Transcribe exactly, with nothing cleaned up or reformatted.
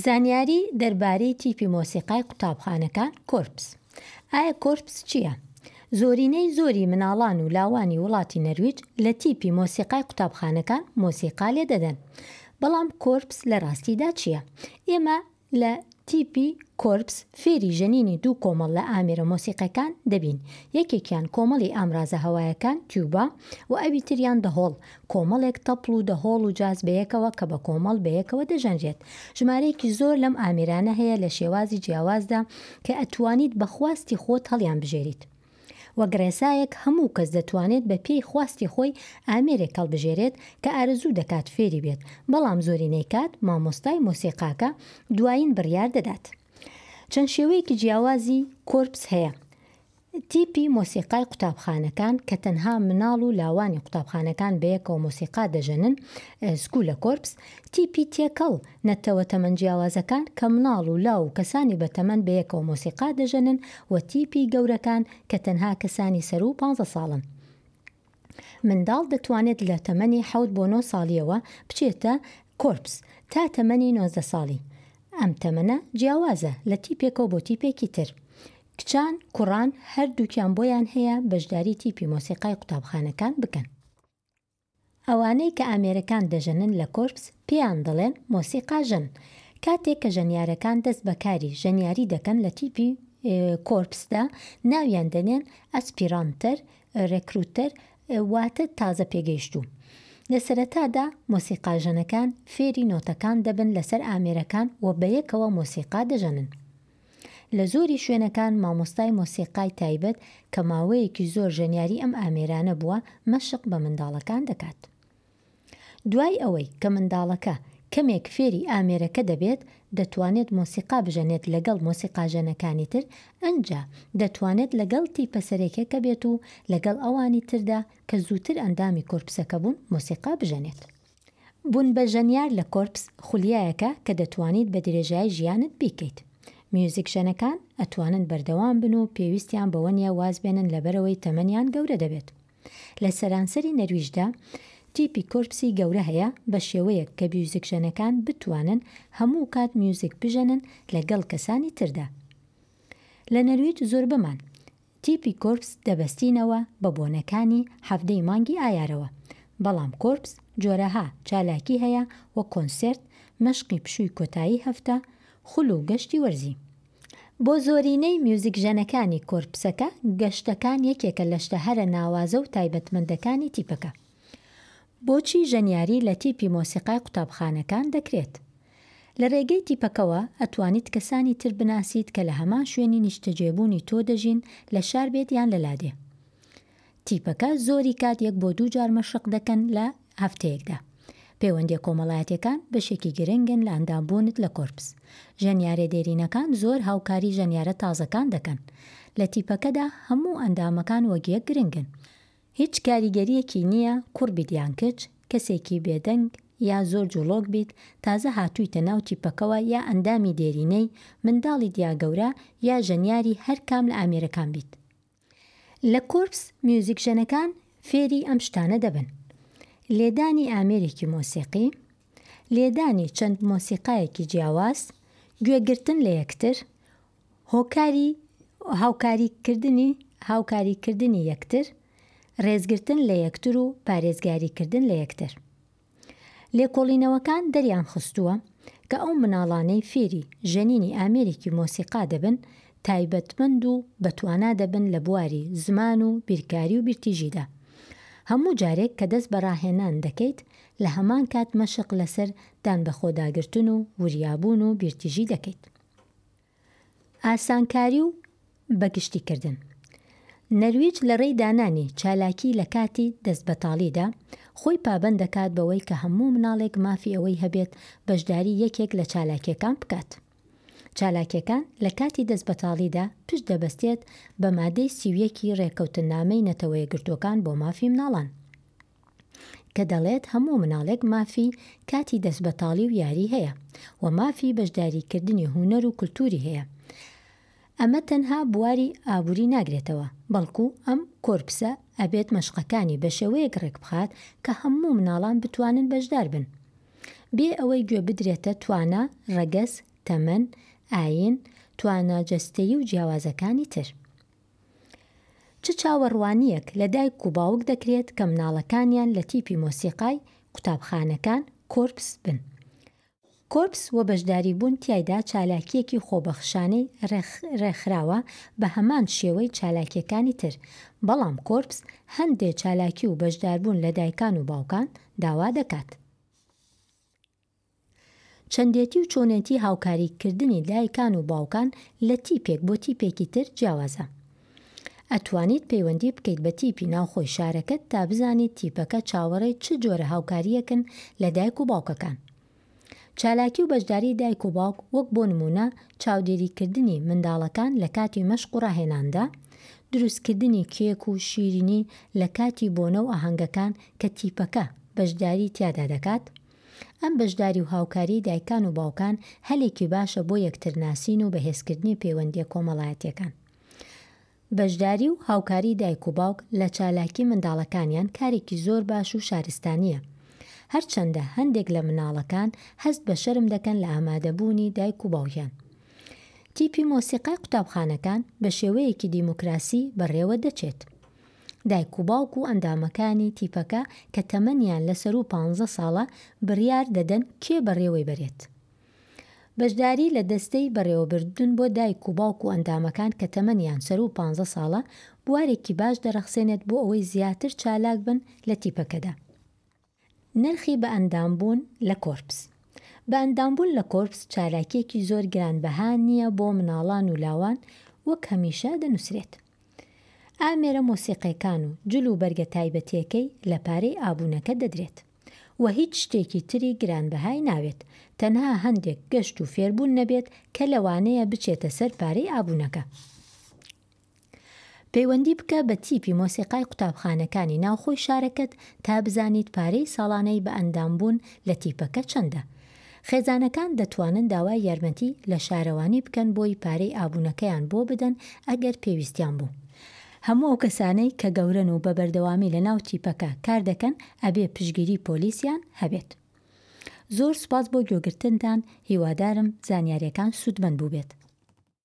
زانیاری دەربارەی تیپی مۆسیقای قوتابخانەکان کۆرپس. ئایا کۆرپس چییە؟ زۆرینەی زۆری مناڵان و لاوانی وڵاتی نەرویج لە تیپی مۆسیقای قوتابخانەکان مۆسیقا لێدەدەن. بەڵام کۆرپس لە ڕاستیدا چییە؟ ئێمە لە تیپی کۆرپس فێری ژەنینی دوو کۆمەڵ لە ئامێرە مۆسیقەکان دەبین، یەکێکیان کۆمەڵی ئامرازە هەوایەکان تیوبا و ئەوی تریان دەهۆڵ، کۆمەڵێک تەپڵ و دەهۆڵ و جاز بەیەکەوە کە بە کۆمەڵ بەیەکەوە دەژەنرێت. ژمارەیەکی زۆر لەم ئامێرانە هەیە لە شێوازی جیاوازدا کە ئەتوانیت بە خواستی خۆت هەڵیانبژێریت. وەک ڕێسایەک هەموو کەس دەتوانێت بە پێی خواستی خۆی ئامێرێک هەڵبژێرێت کە ئارەزوو دەکات فێری بێت، بەڵام زۆرینەی کات مامۆستای مۆسیقاکە دوایین بڕیار دەدات. چەند شێوەیەکی جیاوازی کۆرپس هەیە. تیپی مۆسیقای قوتابخانەکان کە تەنها مناڵ و لاوانی قوتابخانەکان بەیەکەوە مۆسیقا دەژەنن، سکولە کۆرپس، تیپی تێکەڵ، نەتەوە تەمەن جیاوازەکان کە مناڵ و لاو و کەسانی بەتەمەن بەیەکەوە مۆسیقا دەژەنن و تیپی گەورەکان کە تەنها کەسانی سەروو پانزە ساڵن. منداڵ دەتوانێت لە تەمەنی حەوت بۆ نۆ ساڵیەوە بچێتە کۆرپس تا تەمەنی نۆزدە ساڵی. ئەم تەمەنە جیاوازە لە تیپێکەوە بۆ تیپێکی تر. کچان، کوڕان هەردووکیان بۆیان هەیە بەشداری تیپی مۆسیقای قوتابخانەکان بکەن. ئەوانەی کە ئامێرەکان دەژەنن لە کۆرپس پێیان دەڵێن مۆسیقاژەن. کاتێک کە ژەنیارەکان دەست بە کاری ژەنیاری دەکەن لە تیپی کۆرپسدا ناویان دەنێن ئەسپیرانتەر، رێکروتەر واتە تازە پێگەیشتوو. لە سەرەتادا مۆسیقاژەنەکان فێری نۆتەکان دەبن لەسەر ئامێرەکان و بەیەکەوە مۆسیقا دەژەنن. لە زۆری شوێنەکان مامۆستای مۆسیقای تایبەت کە ماوەیەکی زۆر ژەنیاری ئەم ئامێرانە بووە مەشق بە منداڵەکان دەکات. دوای ئەوەی کە منداڵەکە کەمێک فێری ئامێرەکە دەبێت دەتوانێت مۆسیقا بژەنێت لەگەڵ مۆسیقاژەنەکانی تر، ئەنجا دەتوانێت لەگەڵ تیپە سەرەکیەکە بێت و لەگەڵ ئەوانی تردا کە زووتر ئەندامی کۆرپسەکە بوون مۆسیقا بژەنێت. بوون بە ژەنیار لە کۆرپس خولیایەکە کە دەتوانیت بە درێژایی ژیانت بیکەیت. میوزیکژەنەکان ئەتوانن بەردەوام بن و پێویستیان بەوە نییە واز بێنن لەبەرەوەی تەمەنیان گەورە دەبێت. لە سەرانسەری نەرویجدا تیپی کۆرپسی گەورە هەیە بە شێوەیەک کە میوزیکژەنەکان بتوانن هەموو کات میوزیک بژەنن لەگەڵ کەسانی تردا. لە نەرویج زۆربەمان تیپی کۆرپس دەبەستینەوە بە بۆنەکانی حەڤدەی مانگی ئایارەوە، بەڵام کۆرپس جۆرەها چالاکی هەیە وەک کۆنسێرت، مەشقی پشووی کۆتایی هەفتە، خول و گەشتی وەرزی. بۆ زۆرینەی میوزیکژەنەکانی کۆرپسەکە گەشتەکان یەکێکە لە شتە هەرە ناوازە و تایبەتمەندەکانی تیپەکە. بۆچی ژەنیاری لە تیپی مۆسیقای قوتابخانەکان دەکرێت؟ لە ڕێگەی تیپەکەوە ئەتوانیت کەسانی تر بناسیت کە لە هەمان شوێنی نیشتەجێبوونی تۆ دەژین لە شار بێت یان لە لادێ. تیپەکە زۆری کات یەک بۆ دوو جار مەشق دەکەن لە هەفتەیەکدا. پەیوەندیە کۆمەڵایەتیەکان بەشێکی گرنگن لە ئەندامبوونت لە کۆرپس. ژەنیارە دێرینەکان زۆر هاوکاری ژەنیارە تازەکان دەکەن. لە تیپەکەدا هەموو ئەندامەکان وەک یەک گرنگن. هیچ کاریگەریەکی نییە کوڕ بیت یان کچ، کەسێکی بێدەنگ یا زۆر جوڵۆک بیت، تازە هاتوویتە ناو تیپەکەوە یا ئەندامی دێرینەی، منداڵیت یا گەورە یا ژەنیاری هەر کام لە ئامێرەکان بیت. لە کۆرپس میوزیکژەنەکان فێری ئەم شتانە دەبن: لێدانی ئامێرێکی مۆسیقی، لێدانی چەند مۆسیقایەکی جیاواز، گوێگرتن لە یەکتر، هۆکاری هاوکاریکردنی هاوکاریکردنی یەکتر، ڕێزگرتن لە یەکتر و پارێزگاریکردن لە یەکتر. لێکۆڵینەوەکان دەریان خستووە کە ئەو مناڵانەی فێری ژەنینی ئامێرێکی مۆسیقا دەبن تایبەتمەند و بەتوانا دەبن لە بواری زمان و بیرکاری و بیرتیژیدا. هەموو جارێک کە دەست بە ڕاهێنان دەکەیت لە هەمان کات مەشق لەسەر دان بەخۆداگرتن و وریابوون و بیرتیژی دەکەیت. ئاسانکاری و بەگشتیکردن. نەرویج لە ڕێی دانانی چالاکی لە کاتی دەستبەتاڵیدا خۆی پابەند دەکات بەوەی کە هەموو مناڵێک مافی ئەوەی هەبێت بەشداری یەکێک لە چالاکیەکان بکات. چالاکیەکان لە کاتی دەستبەتاڵیدا پشت دەبەستێت بە مادەی سی و یەکی ڕێککەوتنامەی نەتەوەیەکگرتووەکان بۆ مافی مناڵان کە دەڵێت هەموو مناڵێک مافی کاتی دەستبەتاڵی و یاری هەیە و مافی بەشداریکردنی هونەر و کولتوری هەیە. ئەمە تەنها بواری ئابووری ناگرێتەوە، بەڵکو ئەم کۆرپسە ئەبێت مەشقەکانی بە شێوەیەک ڕێکبخات کە هەموو مناڵان بتوانن بەشدار بن بێ ئەوەی گوێ بدرێتە توانا، ڕەگەز، تەمەن، ئایین، توانا جەستەیی و جیاوازەکانی تر. چ چاوەڕوانییەک لە دایک و باوک دەکرێت کە مناڵەکانیان لە تیپی مۆسیقای قوتابخانەکان، کۆرپس، بن؟ کۆرپس و بەشداریبوون تیایدا چالاکییەکی خۆبەخشانەی ڕێکخراوە بە هەمان شێوەی چالاکییەکانی تر، بەڵام کۆرپس هەندێ چالاکی و بەشداربوون لە دایکان و باوکان داوا دەکات. چەندێتی و چۆنێتی هاوکاریکردنی دایکان و باوکان لە تیپێک بۆ تیپێکی تر جیاوازە. ئەتوانیت پەیوەندی بکەیت بە تیپی ناوخۆی شارەکەت تا بزانیت تیپەکە چاوەڕێی چ جۆرە هاوکارییەکن لە دایک و باوکەکان. چالاکی و بەشداری دایک و باوک وەک بۆ نموونە چاودێریکردنی منداڵەکان لە کاتی مەشق و ڕاهێناندا، دروستکردنی کێک و شیرینی لە کاتی بۆنە و ئاهەنگەکان کە تیپەکە بەشداری تیادا دەکات. ئەم بەشداری و هاوکاریەی دایکان و باوکان هەلێکی باشە بۆ یەکترناسین و بەهێزکردنی پەیوەندیە کۆمەڵایەتیەکان. بەشداری و هاوکاری دایک و باوک لە چالاکی منداڵەکانیان کارێکی زۆر باش و شارستانیە. هەرچەندە هەندێک لە مناڵەکان هەست بە شەرم دەکەن لە ئامادەبوونی دایک و باوکیان. تیپی مۆسیقای قوتابخانەکان بە شێوەیەکی دیموکراسی بەڕێوە دەچێت. دایک و باوک و ئەندامەکانی تیپەکە کە تەمەنیان لە سەروو پانزە ساڵە بڕیار دەدەن کێ بەڕێوەی بەرێت. بەشداری لە دەستەی بەڕێوەبردن بۆ دایک و باوک و ئەندامەکان کە تەمەنیان سەروو پانزە ساڵە بوارێکی باش دەڕەخسێنێت بۆ ئەوەی زیاتر چالاک بن لە تیپەکەدا. نرخی بەئەندامبوون لە کۆرپس. بەئەندامبوون لە کۆرپس چالاکییەکی زۆر گرانبەها نییە بۆ مناڵان و لاوان وەک هەمیشە دەنووسرێت. ئامێرە مۆسیقیەکان و جل و بەرگە تایبەتیەکەی لە پارەی ئابوونەکە دەدرێت. وە هیچ شتێکی تری گرانبەهای ناوێت تەنها هەندێک گەشت و فێربوون نەبێت کە لەوانەیە بچێتە سەر پارەی ئابوونەکە. پەیوەندی بکە بە تیپی مۆسیقای قوتابخانەکانی ناوخۆی شارەکەت تا بزانیت پارەی ساڵانەی بەئەندامبوون لە تیپەکە چەندە. خێزانەکان دەتوانن داوای یارمەتی لە شارەوانی بکەن بۆی پارەی ئابوونەکەیان بۆ بدەن ئەگەر پێویستیان بوو. هەموو ئەو کەسانەی کە گەورەن و بە بەردەوامی لە ناو تیپەکە کار دەکەن ئەبێ پشتگیری پۆلیسیان هەبێت. زۆر سوپاس بۆ گوێگرتنتان هیوادارم زانیاریەکان سوودمەند بووبێت.